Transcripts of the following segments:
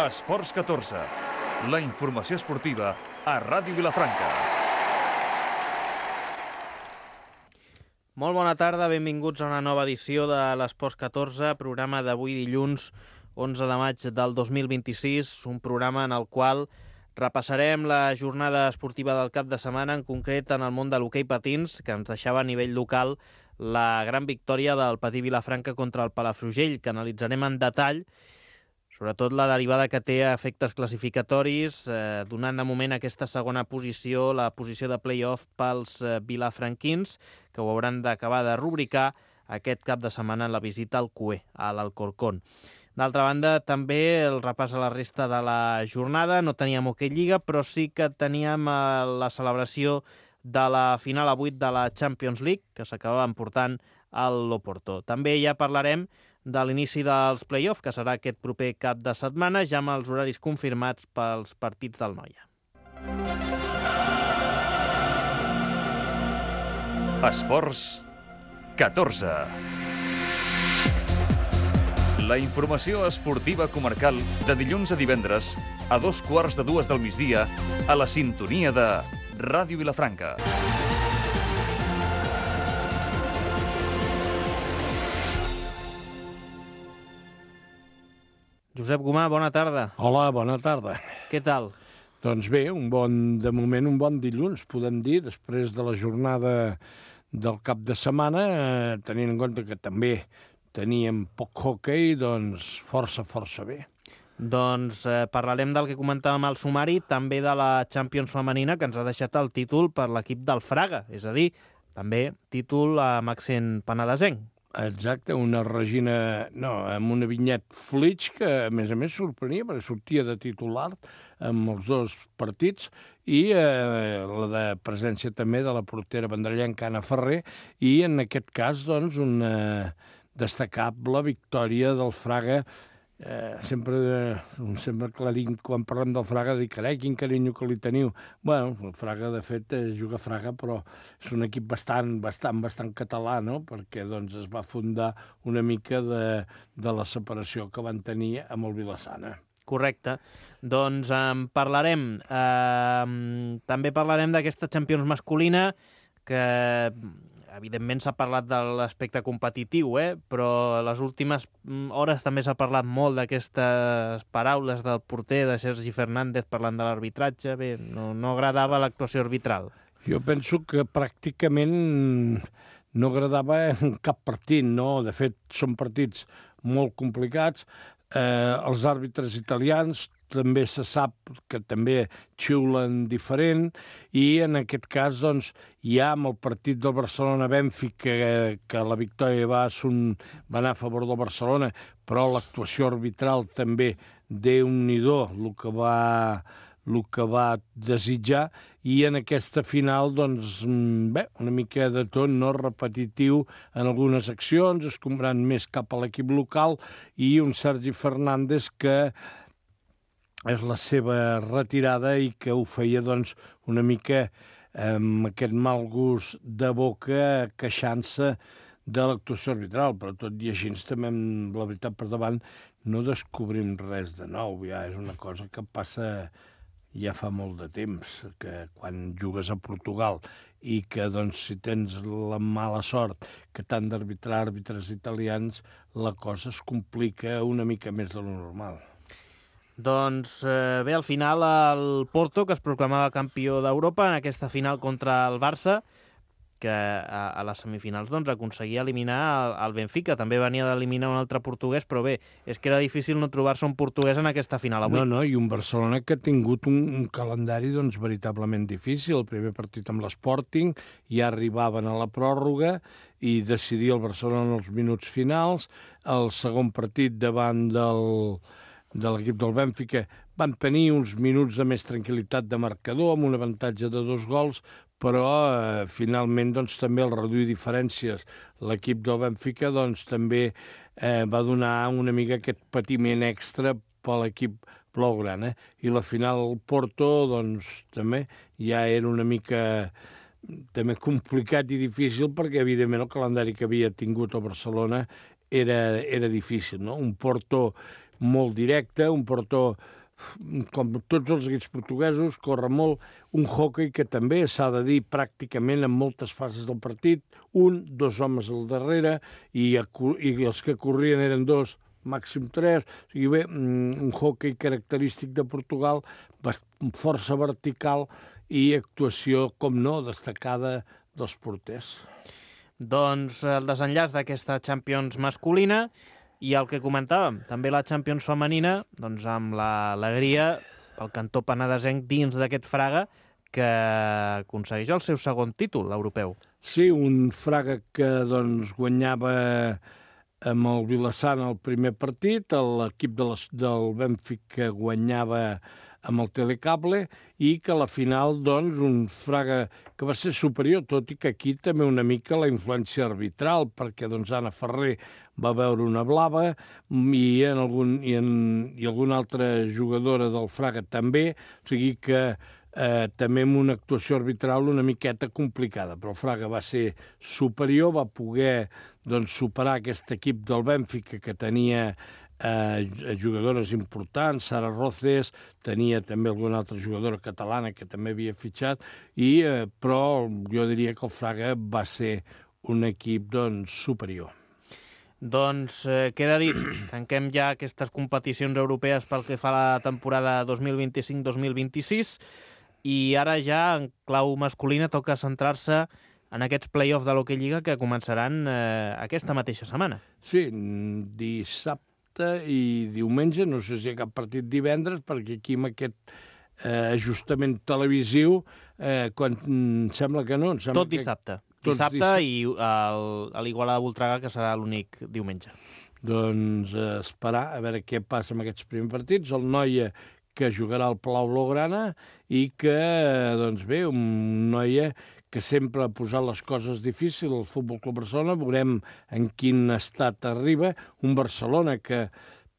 Esports 14, la informació esportiva a Ràdio Vilafranca. Molt bona tarda, benvinguts a una nova edició de l'Esports 14, programa d'avui dilluns 11 de maig del 2026, un programa en el qual repassarem la jornada esportiva del cap de setmana, en concret en el món de l'hoquei patins, que ens deixava a nivell local la gran victòria del Patí Vilafranca contra el Palafrugell, que analitzarem en detall, sobretot la derivada que té a efectes classificatoris, donant de moment aquesta segona posició, la posició de play-off pels vilafranquins, que ho hauran d'acabar de rubricar aquest cap de setmana en la visita al CUE, a l'Alcorcón. D'altra banda, també el repàs a la resta de la jornada. No teníem hoquei lliga, però sí que teníem la celebració de la final a 8 de la Champions League, que s'acabava emportant al Loporto. També ja parlarem de l'inici dels play-off, que serà aquest proper cap de setmana, ja amb els horaris confirmats pels partits del Noia. Esports 14. La informació esportiva comarcal de dilluns a divendres a 2:15 del migdia a la sintonia de Ràdio Vilafranca. Josep Gomà, bona tarda. Hola, bona tarda. Què tal? Doncs bé, de moment un bon dilluns, podem dir, després de la jornada del cap de setmana, tenint en compte que també teníem poc hoquei, doncs força bé. Doncs parlarem del que comentàvem al sumari, també de la Champions femenina, que ens ha deixat el títol per l'equip del Fraga, és a dir, també títol amb accent penedesenc. Exacte, amb una Vinyet Flitsch que, a més, sorprenia, perquè sortia de titular amb els dos partits, i la de presència també de la portera vendrellenca Anna Ferrer, i en aquest cas, doncs, una destacable victòria del Fraga. Sempre que la dic, quan parlem del Fraga, dic, carai, quin carinyo que li teniu. Bueno, el Fraga, de fet, juga a Fraga, però és un equip bastant català, no?, perquè doncs, es va fundar una mica de la separació que van tenir amb el Vilassana. Correcte. Doncs en parlarem. També parlarem d'aquesta Champions masculina, que evidentment s'ha parlat de l'aspecte competitiu, però a les últimes hores també s'ha parlat molt d'aquestes paraules del porter, de Sergi Fernández, parlant de l'arbitratge. Bé, no agradava l'actuació arbitral. Jo penso que pràcticament no agradava en cap partit, no? De fet, són partits molt complicats. Els àrbitres italians també se sap que també xiulen diferent, i en aquest cas, doncs, ja amb el partit del Barcelona-Bènfica, que la victòria va anar a favor del Barcelona, però l'actuació arbitral també, Déu-n'hi-do, el que va desitjar, i en aquesta final, doncs, bé, una mica de tot, no?, repetitiu en algunes accions, escombrant més cap a l'equip local, i un Sergi Fernández que és la seva retirada i que ho feia, doncs, una mica amb aquest mal gust de boca, queixant-se de l'actuació arbitral, però tot i així també, amb la veritat per davant, no descobrim res de nou. Ja és una cosa que passa ja fa molt de temps, que quan jugues a Portugal i que, doncs, si tens la mala sort que t'han d'arbitrar àrbitres italians, la cosa es complica una mica més de lo normal. Doncs bé, al final el Porto, que es proclamava campió d'Europa en aquesta final contra el Barça, que a les semifinals doncs, aconseguia eliminar el Benfica. També venia d'eliminar un altre portuguès, però bé, és que era difícil no trobar-se un portuguès en aquesta final avui. No, i un Barcelona que ha tingut un calendari, doncs, veritablement difícil. El primer partit amb l'Sporting, ja arribaven a la pròrroga i decidia el Barcelona en els minuts finals. El segon partit davant de l'equip del Bènfica van tenir uns minuts de més tranquil·litat de marcador, amb un avantatge de 2 gols, però finalment, doncs, també al reduir diferències l'equip del Bènfica, doncs, també va donar una mica aquest patiment extra per l'equip blaugrana. I la final al Porto, doncs, també ja era una mica també complicat i difícil, perquè, evidentment, el calendari que havia tingut el Barcelona era difícil, no? Un Porto molt directe, un portó com tots els equips portuguesos, corre molt, un hoquei que també s'ha de dir pràcticament en moltes fases del partit, 2 homes al darrere, i els que corrien eren 2, màxim 3, o sigui bé, un hoquei característic de Portugal, força vertical i actuació, com no, destacada dels porters. Doncs el desenllaç d'aquesta Champions masculina. I el que comentàvem, també la Champions femenina, doncs amb l'alegria pel cantó penedesenc dins d'aquest Fraga que aconsegueix el seu segon títol europeu. Sí, un Fraga que doncs, guanyava amb el Vilassant el primer partit, l'equip del Benfica guanyava amb el Telecable i que a la final, doncs, un Fraga que va ser superior, tot i que aquí també una mica la influència arbitral, perquè doncs, Anna Ferrer va veure una blava i alguna altra jugadora del Fraga també, o sigui que també amb una actuació arbitral una miqueta complicada, però el Fraga va ser superior, va poder doncs, superar aquest equip del Benfica que tenia jugadores importants, Sara Roces, tenia també alguna altra jugadora catalana que també havia fitxat, però jo diria que el Fraga va ser un equip doncs, superior. Doncs queda dit, tanquem ja aquestes competicions europees pel que fa a la temporada 2025-2026 i ara ja en clau masculina toca centrar-se en aquests play-offs de l'Hockey Lliga que començaran aquesta mateixa setmana. Sí, dissabte i diumenge, no sé si hi ha cap partit divendres, perquè aquí amb aquest ajustament televisiu, quan sembla que no... Tot dissabte. Dissabte i a l'Igualada-Voltregà, que serà l'únic diumenge. Doncs esperar a veure què passa amb aquests primers partits. El Noia, que jugarà al Palau Blaugrana i que, doncs bé, un Noia que sempre ha posat les coses difícils al Futbol Club Barcelona. Veurem en quin estat arriba. Un Barcelona que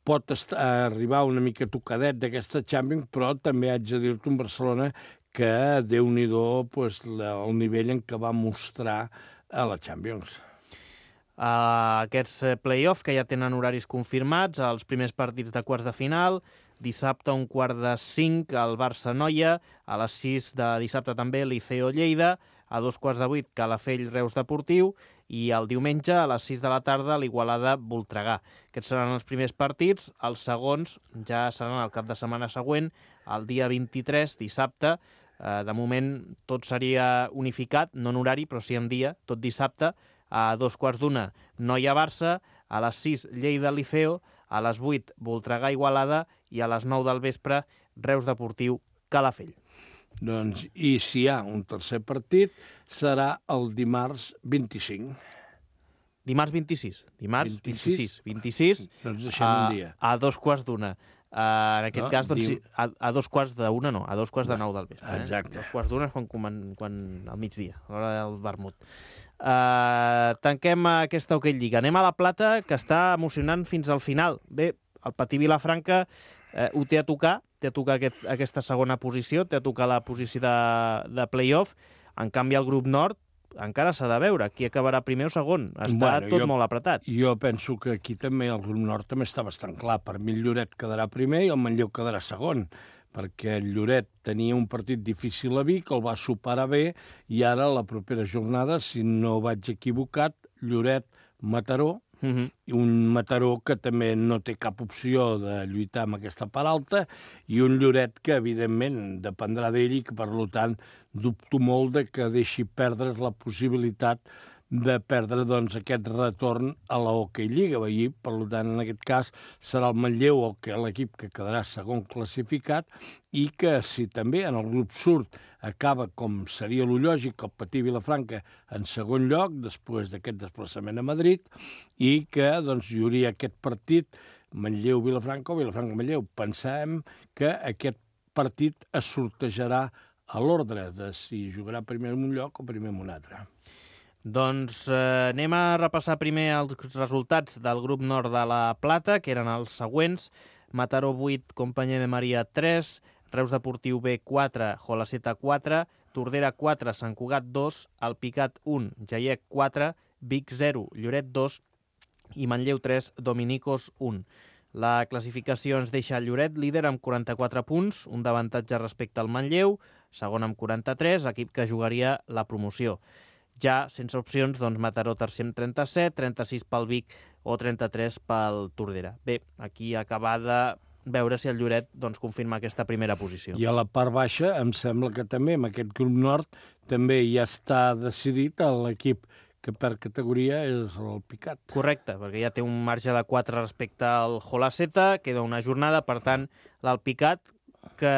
pot arribar una mica tocadet d'aquesta Champions, però també haig de dir-te un Barcelona que, Déu-n'hi-do, el nivell en què va mostrar a la Champions. Aquests play-off que ja tenen horaris confirmats, els primers partits de quarts de final, dissabte a 4:45 el Barça-Noia, a les 6 de dissabte també Liceo-Lleida, a 7:45 Calafell Reus Deportiu i el diumenge a les 6 de la tarda l'Igualada-Voltregà. Aquests seran els primers partits, els segons ja seran el cap de setmana següent, el dia 23, dissabte. De moment tot seria unificat, no en horari, però sí en dia, tot dissabte, a 2:15 Noia-Barça, a les 6 Lleida-Liceo, a les 8 Voltregà-Igualada i a les 9 del vespre Reus Deportiu-Calafell. Doncs, i si hi ha un tercer partit, serà el dimarts 25. Dimarts 26. Dimarts 26. Doncs deixem un dia. A 2:15. En aquest cas, doncs, a 2:15, no, a 2:15 del vespre. Exacte. 2:15 és quan al migdia, a l'hora del vermut. Tanquem aquesta Hockey Lliga. Anem a la Plata, que està emocionant fins al final. Bé, el Patí Vilafranca ho té a tocar aquesta segona posició, té a tocar la posició de play-off. En canvi, el grup nord encara s'ha de veure qui acabarà primer o segon. Està tot molt apretat. Jo penso que aquí també el grup nord també està bastant clar. Per mi el Lloret quedarà primer i el Manlleu quedarà segon, perquè el Lloret tenia un partit difícil a Vic, el va superar bé, i ara la propera jornada, si no vaig equivocat, Lloret-Mataró, i un Mataró que també no té cap opció de lluitar amb aquesta part alta, i un Lloret que, evidentment, dependrà d'ell i que, per tant, dubto molt de que deixi perdre la possibilitat de perdre doncs, aquest retorn a la Hockey Lliga. I, per tant, en aquest cas, serà el Manlleu l'equip que quedarà segon classificat i que, si també en el grup sud acaba, com seria lo lògic, el Patí Vilafranca en segon lloc, després d'aquest desplaçament a Madrid, i que doncs, hi hauria aquest partit Manlleu-Vilafranca o Vilafranca-Manlleu. Pensem que aquest partit es sortejarà a l'ordre de si jugarà primer en un lloc o primer en un altre. Doncs anem a repassar primer els resultats del grup nord de la Plata, que eren els següents. Mataró 8, Companyia de Maria 3, Reus Deportiu B 4, Jolaceta 4, Tordera 4, Sant Cugat 2, Alpicat 1, Jaiec 4, Vic 0, Lloret 2 i Manlleu 3, Dominicos 1. La classificació ens deixa el Lloret líder amb 44 punts, un d'avantatge respecte al Manlleu, segon amb 43, equip que jugaria la promoció. Ja, sense opcions, doncs Mataró tercer amb 37, 36 pel Vic o 33 pel Tordera. Bé, aquí acaba de veure si el Lloret doncs, confirma aquesta primera posició. I a la part baixa em sembla que també amb aquest grup nord també ja està decidit l'equip que per categoria és el Picat. Correcte, perquè ja té un marge de 4 respecte al Holaceta, queda una jornada, per tant, l'Alpicat que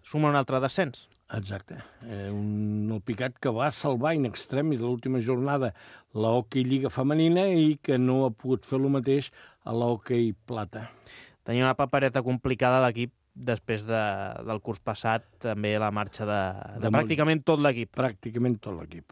suma un altre descens. Exacte. El Picat que va salvar in extremis de l'última jornada la Hockey Lliga Femenina i que no ha pogut fer el mateix a la Hockey Plata. Tenia una papereta complicada l'equip després del curs passat, també la marxa de pràcticament tot l'equip. Pràcticament tot l'equip.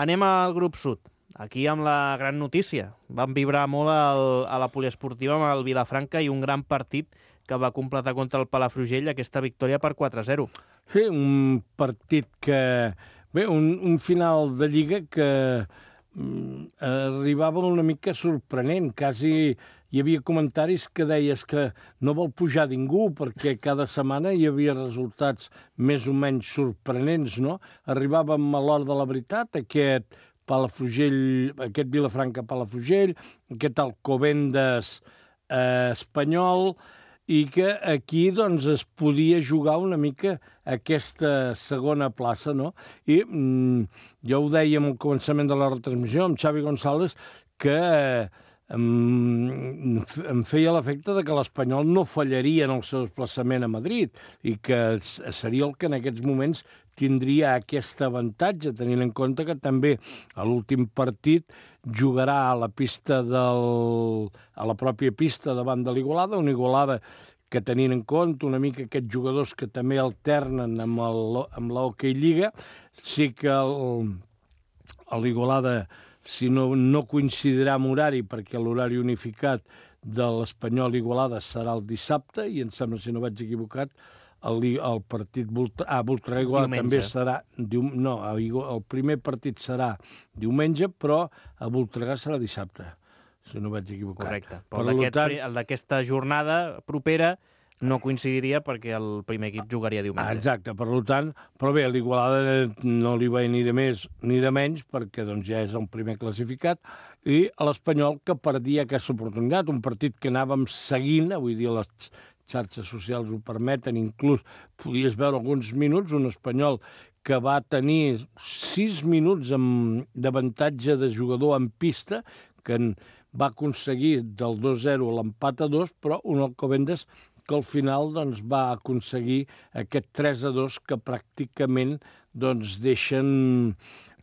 Anem al grup sud. Aquí amb la gran notícia. Vam vibrar molt a la poliesportiva amb el Vilafranca i un gran partit que va completar contra el Palafrugell aquesta victòria per 4-0. Sí, un partit que... Bé, un final de Lliga que arribava una mica sorprenent. Quasi hi havia comentaris que deies que no vol pujar ningú perquè cada setmana hi havia resultats més o menys sorprenents, no? Arribàvem a l'hora de la veritat, aquest Vilafranca-Palafrugell, aquest Alcobendas espanyol, i que aquí doncs, es podia jugar una mica aquesta segona plaça, no? I ja ho dèiem al començament de la retransmissió amb Xavi González, que em feia l'efecte de que l'Espanyol no fallaria en el seu desplaçament a Madrid i que seria el que en aquests moments tindria aquest avantatge, tenint en compte que també a l'últim partit jugarà a la pròpia pista davant de l'Igualada, una Igualada que tenint en compte una mica aquests jugadors que també alternen amb l'Hockey Lliga, sí que l'Igualada, si no coincidirà amb horari, perquè l'horari unificat de l'Espanyol Igualada serà el dissabte, i em sembla, si no vaig equivocat, el partit Voltregà també serà... No, el primer partit serà diumenge, però a Voltregà serà dissabte, si no vaig equivocar. Correcte. Però el d'aquesta jornada propera no coincidiria perquè el primer equip jugaria diumenge. Exacte, per tant, però bé, l'Igualada no li va ni de més ni de menys perquè doncs, ja és el primer classificat, i l'Espanyol que perdia aquesta oportunitat, un partit que anàvem seguint, avui dia les xarxes socials ho permeten, inclús podies veure alguns minuts, un Espanyol que va tenir 6 minuts d'avantatge de jugador en pista, que va aconseguir del 2-0 l'empat a 2, però un Alcobendas que al final doncs, va aconseguir aquest 3-2 que pràcticament doncs, deixen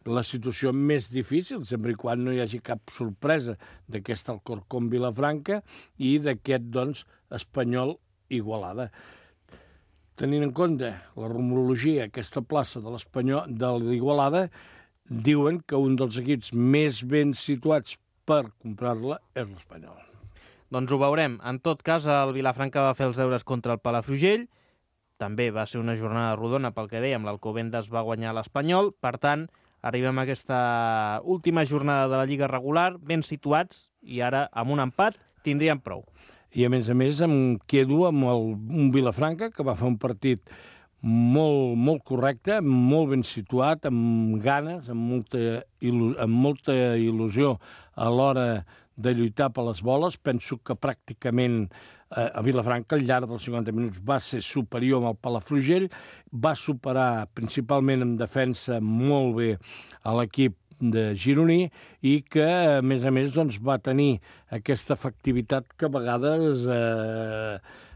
la situació més difícil, sempre i quan no hi hagi cap sorpresa d'aquest Alcorcón Vilafranca i d'aquest doncs, Espanyol Igualada. Tenint en compte la rumorologia, aquesta plaça de l'Igualada, diuen que un dels equips més ben situats per comprar-la és l'Espanyol. Doncs ho veurem. En tot cas, el Vilafranca va fer els deures contra el Palafrugell. També va ser una jornada rodona, pel que dèiem, l'Alcobendas va guanyar l'Espanyol. Per tant, arribem a aquesta última jornada de la Lliga regular, ben situats, i ara, amb un empat, tindríem prou. I a més, em quedo amb un Vilafranca que va fer un partit molt correcte, molt ben situat, amb ganes, amb molta il·lusió a l'hora de lluitar per les boles. Penso que pràcticament a Vilafranca al llarg dels 50 minuts va ser superior amb el Palafrugell, va superar principalment en defensa molt bé a l'equip de gironí i que, a més, doncs, va tenir aquesta efectivitat que a vegades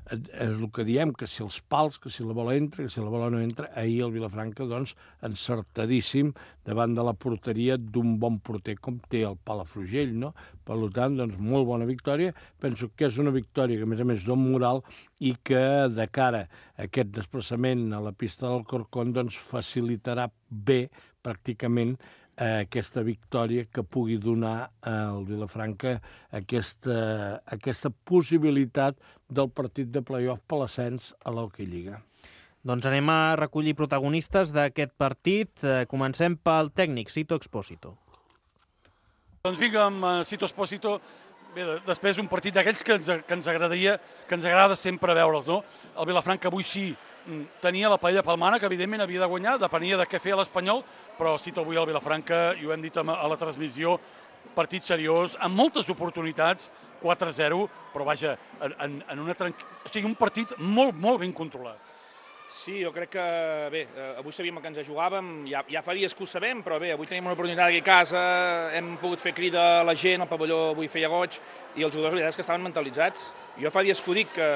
és el que diem, que si els pals, que si la bola entra, que si la bola no entra. Ahir el Vilafranca, doncs, encertadíssim davant de la porteria d'un bon porter com té el Palafrugell, no? Per tant, doncs, molt bona victòria. Penso que és una victòria que, a més, dona moral i que, de cara a aquest desplaçament a la pista del Alcorcón, doncs, facilitarà bé, pràcticament, aquesta victòria que pugui donar al Vilafranca aquesta possibilitat del partit de play-off per l'ascens a l'Hockey Lliga. Doncs anem a recollir protagonistes d'aquest partit. Comencem pel tècnic, Sito Expósito. Doncs vinga, amb Sito Expósito, Bé, després un partit d'aquells que ens agrada sempre veure'ls, no? El Vilafranca avui sí tenia la paella palmana, que evidentment havia de guanyar, depenia de què feia l'Espanyol, però cito avui el Vilafranca, i ho hem dit a la transmissió, partit seriós, amb moltes oportunitats, 4-0, però vaja, en una o sigui, un partit molt, molt ben controlat. Sí, jo crec que, bé, avui sabíem que ens jugàvem, ja fa dies que ho sabem, però bé, avui tenim una oportunitat aquí a casa, hem pogut fer crida a la gent, el pavelló avui feia goig, i els jugadors, la veritat és que estaven mentalitzats. Jo fa dies que ho dic, que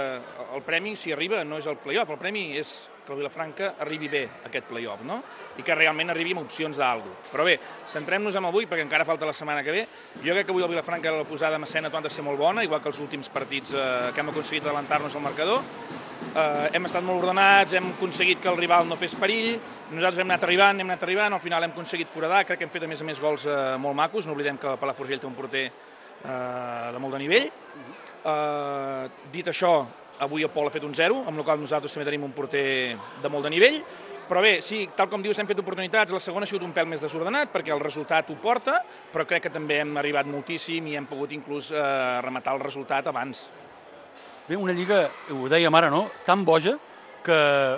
el premi, si arriba, no és el play-off, el premi és que el Vilafranca arribi bé a aquest play-off, no? I que realment arribi amb opcions d'algú. Però bé, centrem-nos en avui, perquè encara falta la setmana que ve. Jo crec que avui el Vilafranca, la posada en escena ha de ser molt bona, igual que els últims partits que hem aconseguit adelantar-nos al marcador. Hem estat molt ordenats, hem aconseguit que el rival no fes perill, nosaltres hem anat arribant, al final hem aconseguit foradar, crec que hem fet a més gols molt macos, no oblidem que Palafrugell té un porter de molt de nivell. Dit això, avui el Pol ha fet un 0, amb la qual nosaltres també tenim un porter de molt de nivell, però bé, sí, tal com dius, hem fet oportunitats, la segona ha sigut un pèl més desordenat perquè el resultat ho porta, però crec que també hem arribat moltíssim i hem pogut inclús rematar el resultat abans. Bé, una lliga, ho dèiem ara, no?, tan boja, que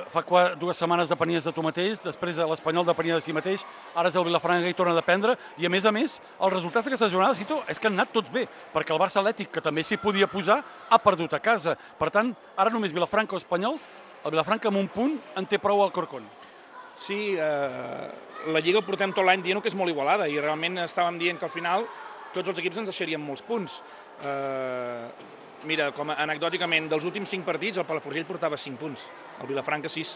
fa 2 setmanes depenies de tu mateix, després l'Espanyol depenia de si mateix, ara és el Vilafranca i torna a dependre, i a més, els resultats d'aquesta jornada, Cito, és que han anat tots bé, perquè el Barça Atlètic, que també s'hi podia posar, ha perdut a casa. Per tant, ara només Vilafranca o Espanyol, el Vilafranca amb un punt en té prou al Corcón. Sí, la Lliga el portem tot l'any dient que és molt igualada, i realment estàvem dient que al final tots els equips ens deixarien molts punts. Mira, com anecdòticament, dels últims 5 partits, el Palafrugell portava 5 punts, el Vilafranca 6,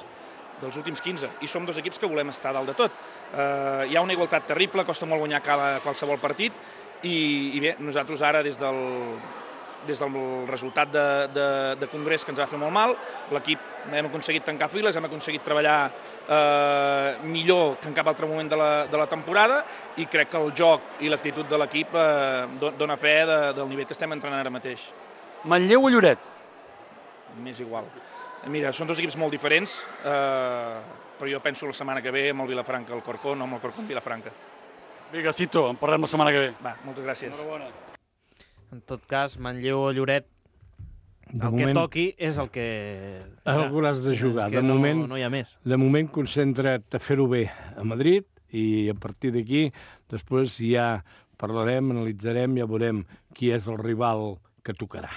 dels últims 15, i som 2 equips que volem estar dalt de tot. Hi ha una igualtat terrible, costa molt guanyar qualsevol partit, i bé, nosaltres ara, des del resultat de congrés que ens va fer molt mal, l'equip hem aconseguit tancar files, hem aconseguit treballar millor que en cap altre moment de la temporada, i crec que el joc i l'actitud de l'equip dona fe del nivell que estem entrenant ara mateix. Manlleu o Lloret? M'és igual. Mira, són 2 equips molt diferents, però jo penso la setmana que ve amb el Vilafranca al Corcón, no amb el Corcón Vilafranca. Vinga, Cito, en parlem la setmana que ve. Va, moltes gràcies. Enhorabona. En tot cas, Manlleu o Lloret, que toqui és el que... Algú l'has de jugar. De moment no hi ha més. De moment concentra't a fer-ho bé a Madrid i a partir d'aquí després ja parlarem, analitzarem, ja veurem qui és el rival que tocarà.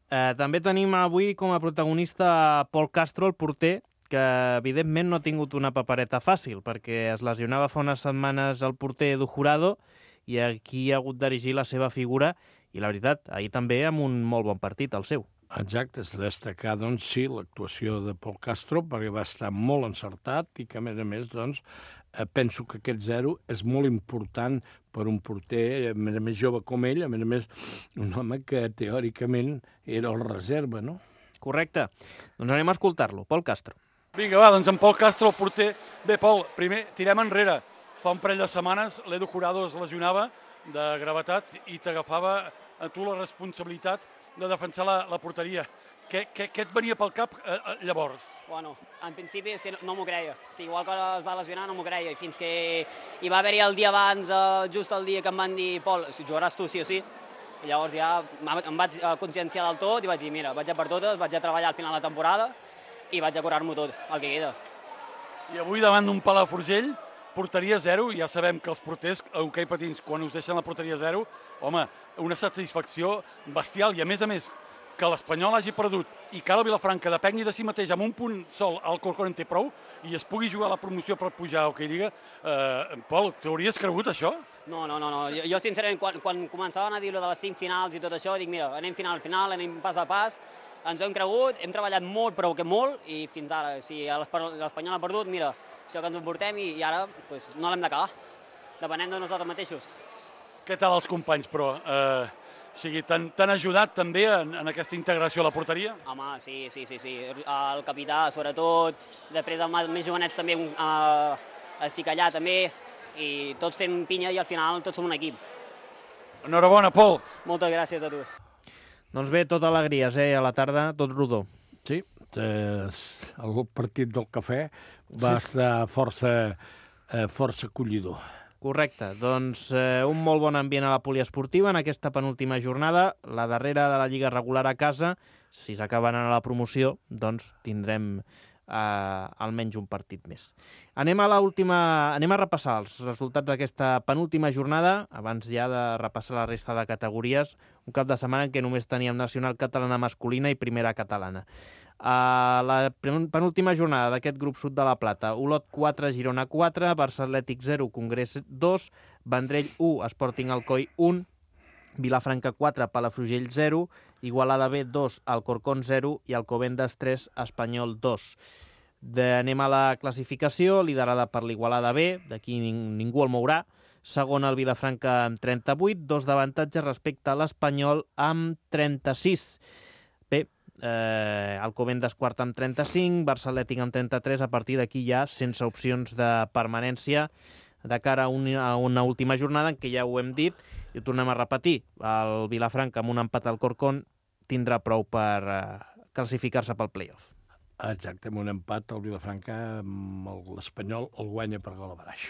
També tenim avui com a protagonista Pol Castro, el porter, que evidentment no ha tingut una papereta fàcil, perquè es lesionava fa unes setmanes el porter Edu Jurado i aquí ha hagut d'erigir la seva figura, i la veritat, ahir també amb un molt bon partit, el seu. Exacte, és destacar, doncs, sí, l'actuació de Pol Castro, perquè va estar molt encertat i que, a més, doncs, penso que aquest 0 és molt important per un porter, a més jove com ell, a més, un home que teòricament era el reserva, no? Correcte. Doncs anem a escoltar-lo. Pol Castro. Vinga, va, doncs en Pol Castro, el porter. Bé, Pol, primer tirem enrere. Fa un parell de setmanes l'Edu Jurado es lesionava de gravetat i t'agafava a tu la responsabilitat de defensar la porteria. Què et venia pel cap llavors? Bueno, en principi és que no m'ho creia. Sí, igual que es va lesionar no m'ho creia. I fins que hi va haver-hi el dia abans, just el dia que em van dir Pol, jugaràs tu sí o sí. I llavors ja em vaig conscienciar del tot i vaig dir, mira, vaig a per totes, vaig a treballar al final de la temporada i vaig a curar-m'ho tot, el que queda. I avui davant d'un Palafrugell, porteria 0, ja sabem que els porters a hoquei patins, quan us deixen la porteria 0, home, una satisfacció bestial, i a més, que l'Espanyol hagi perdut i que el Vilafranca depengui de si mateix amb un punt sol al Corcón en té prou i es pugui jugar la promoció per pujar a Hockey Lliga. Pol, t'hauries cregut això? No. Jo sincerament, quan començaven a dir-lo de les 5 finals i tot això, dic, mira, anem final a final, anem pas a pas, ens ho hem cregut, hem treballat molt, però que molt, i fins ara, si l'Espanyol ha perdut, mira, això que ens ho portem i ara no l'hem d'acabar. Depenem de nosaltres mateixos. Què tal els companys, però? O sigui, t'han ajudat també en aquesta integració a la porteria? Home, sí. El capità, sobretot, després dels més jovenets també, estic allà també, i tots fem pinya i al final tots som un equip. Enhorabona, Pol. Moltes gràcies a tu. Doncs bé, tot alegries, a la tarda, tot rodó. Sí, el partit del cafè va estar força acollidor. Correcte, doncs un molt bon ambient a la poliesportiva en aquesta penúltima jornada, la darrera de la Lliga regular a casa. Si s'acaben a la promoció, doncs tindrem almenys un partit més. Anem a repassar els resultats d'aquesta penúltima jornada, abans ja de repassar la resta de categories, un cap de setmana en què només teníem Nacional Catalana masculina i Primera Catalana. A la penúltima jornada d'aquest grup sud de la Plata, Olot 4, Girona 4, Barça Atlètic 0, Congrés 2, Vendrell 1, Sporting Alcoi 1, Vilafranca 4, Palafrugell 0, Igualada B 2, Alcorcón 0 i Alcobendas 3, Espanyol 2. Anem a la classificació, liderada per l'Igualada B, d'aquí ningú el mourà. Segon el Vilafranca amb 38, 2 d'avantatge respecte a l'Espanyol amb 36. Bé, Alcobendas quart amb 35, Barça Atlètic amb 33, a partir d'aquí ja sense opcions de permanència de cara a una última jornada en què ja ho hem dit i ho tornem a repetir. El Vilafranca amb un empat al Corcón tindrà prou per classificar-se pel play-off. Exacte, amb un empat el Vilafranca amb l'Espanyol el guanya per gol a baraix.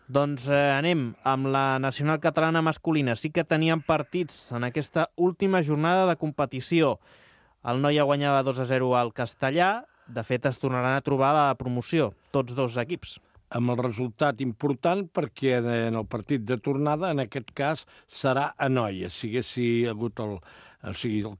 Doncs anem amb la Nacional Catalana masculina. Sí que teníem partits en aquesta última jornada de competició. El Noia guanyava 2-0 al Castellà. De fet, es tornaran a trobar a la promoció, tots dos equips. Amb el resultat important perquè en el partit de tornada, en aquest cas, serà a Noia. Si hagués hagut el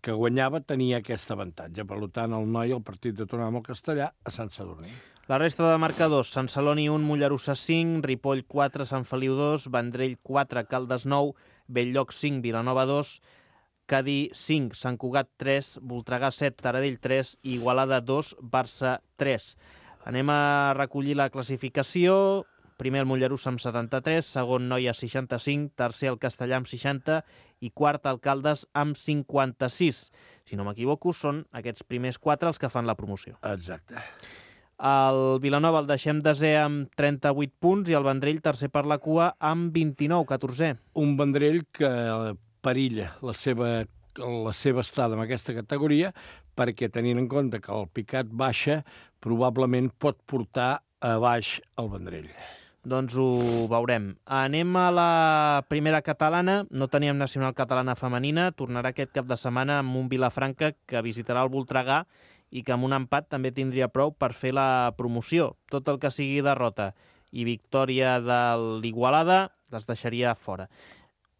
que guanyava tenia aquest avantatge. Per tant, el Noia, el partit de tornada amb el Castellà, a Sant Sadurní. La resta de marcadors: Sant Celoni 1, Mollerussa 5, Ripoll 4, Sant Feliu 2, Vendrell 4, Caldes 9, Belllloc 5, Vilanova 2, Cadí 5, Sant Cugat 3, Voltregà 7, Taradell 3 i Igualada 2, Barça 3. Anem a recollir la classificació. Primer el Mollerussa amb 73, segon Noia 65, tercer el Castellà amb 60 i quart el Caldes amb 56. Si no m'equivoco, són aquests primers 4 els que fan la promoció. Exacte. El Vilanova el deixem desè amb 38 punts i el Vendrell tercer per la cua amb 29, 14è. Un Vendrell que perilla la seva estada en aquesta categoria perquè, tenint en compte que el picat baixa, probablement pot portar a baix el Vendrell. Doncs ho veurem. Anem a la Primera Catalana. No teníem Nacional Catalana femenina. Tornarà aquest cap de setmana amb un Vilafranca que visitarà el Voltregà i que amb un empat també tindria prou per fer la promoció. Tot el que sigui derrota i victòria de l'Igualada les deixaria fora.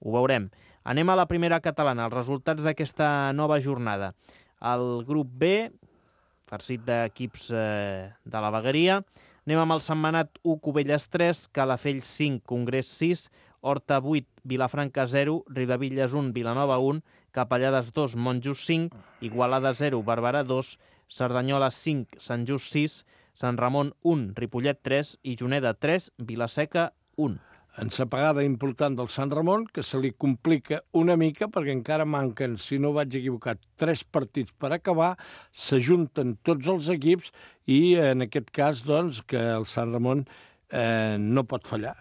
Ho veurem. Anem a la Primera Catalana, els resultats d'aquesta nova jornada. El grup B, farcit d'equips de la vegueria. Anem amb el Sentmenat 1, Cubelles 3, Calafell 5, Congrés 6, Horta 8, Vilafranca 0, Riudebitlles 1, Vilanova 1, Capellades 2, Monjos 5, Igualada 0, Barberà 2, Cerdanyola 5, Sant Just 6, Sant Ramon 1, Ripollet 3 i Juneda 3, Vilaseca 1. Ensapegada important del Sant Ramon, que se li complica una mica perquè encara manquen, si no vaig equivocat, 3 partits per acabar, s'ajunten tots els equips i en aquest cas, doncs, que el Sant Ramon no pot fallar.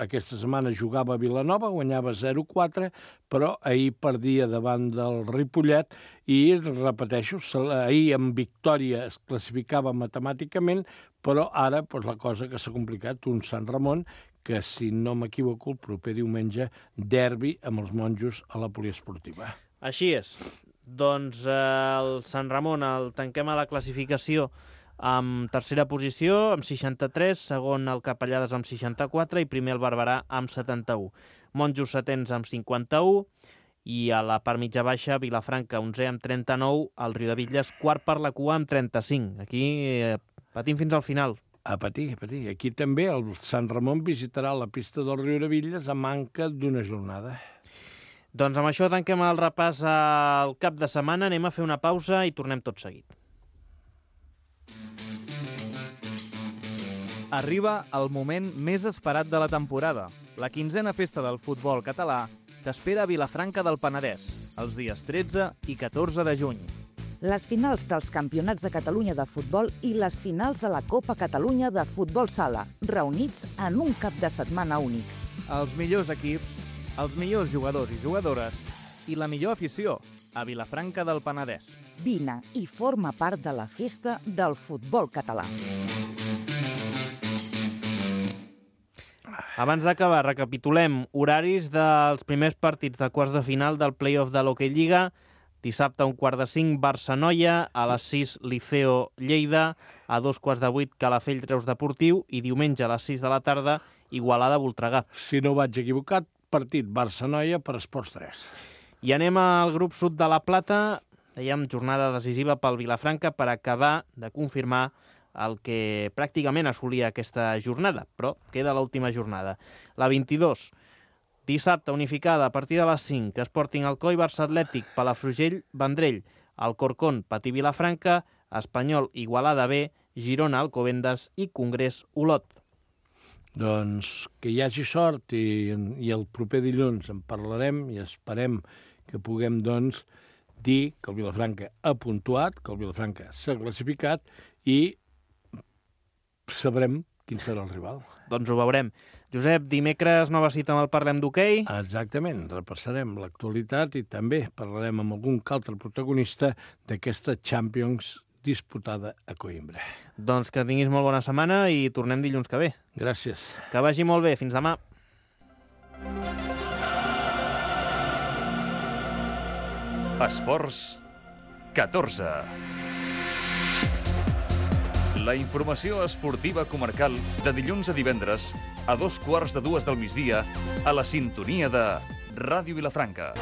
Aquesta setmana jugava a Vilanova, guanyava 0-4, però ahir perdia davant del Ripollet i, repeteixo, ahir amb victòria es classificava matemàticament, però ara la cosa que s'ha complicat, un Sant Ramon que, si no m'equivoco, el proper diumenge derbi amb els monjos a la poliesportiva. Així és. Doncs el Sant Ramon el tanquem a la classificació amb tercera posició, amb 63, segon el Capellades amb 64 i primer el Barberà amb 71. Monjos setens amb 51 i a la part mitja baixa Vilafranca 11 amb 39, el Riudebitlles quart per la cua amb 35. Aquí patim fins al final. A patir. Aquí també el Sant Ramon visitarà la pista del Riudebitlles a manca d'una jornada. Doncs amb això tanquem el repàs al cap de setmana, anem a fer una pausa i tornem tot seguit. Arriba el moment més esperat de la temporada. La 15a festa del futbol català t'espera a Vilafranca del Penedès, els dies 13 i 14 de juny. Les finals dels Campionats de Catalunya de futbol i les finals de la Copa Catalunya de futbol sala, reunits en un cap de setmana únic. Els millors equips, els millors jugadors i jugadores i la millor afició a Vilafranca del Penedès. Vine i forma part de la festa del futbol català. Abans d'acabar, recapitulem horaris dels primers partits de quarts de final del play-off de l'Hockey Lliga. Dissabte, 4:45, Barça-Noia, a les 6, Liceo-Lleida, a 7:45, Calafell-Reus Deportiu, i diumenge a les 6 de la tarda, Igualada-Voltregà. Si no vaig equivocat, partit Barça-Noia per Esports 3. I anem al grup sud de la Plata. Dèiem, jornada decisiva pel Vilafranca per acabar de confirmar el que pràcticament assolia aquesta jornada, però queda l'última jornada. La 22, dissabte, unificada a partir de les 5, Sporting Alcoi, Barça Atlètic, Palafrugell, Vendrell, Alcorcón, Patí Vilafranca, Espanyol, Igualada B, Girona, Alcobendas i Congrés, Olot. Doncs que hi hagi sort i el proper dilluns en parlarem i esperem que puguem doncs dir que el Vilafranca ha puntuat, que el Vilafranca s'ha classificat i sabrem quin serà el rival. Doncs ho veurem. Josep, dimecres nova cita amb el Parlem d'Hoquei. Exactament, repassarem l'actualitat i també parlarem amb algun altre protagonista d'aquesta Champions disputada a Coïmbra. Doncs que tinguis molt bona setmana i tornem dilluns que ve. Gràcies. Que vagi molt bé. Fins demà. Esports 14. La informació esportiva comarcal de dilluns a divendres a 2:15 del migdia a la sintonia de Ràdio Vilafranca.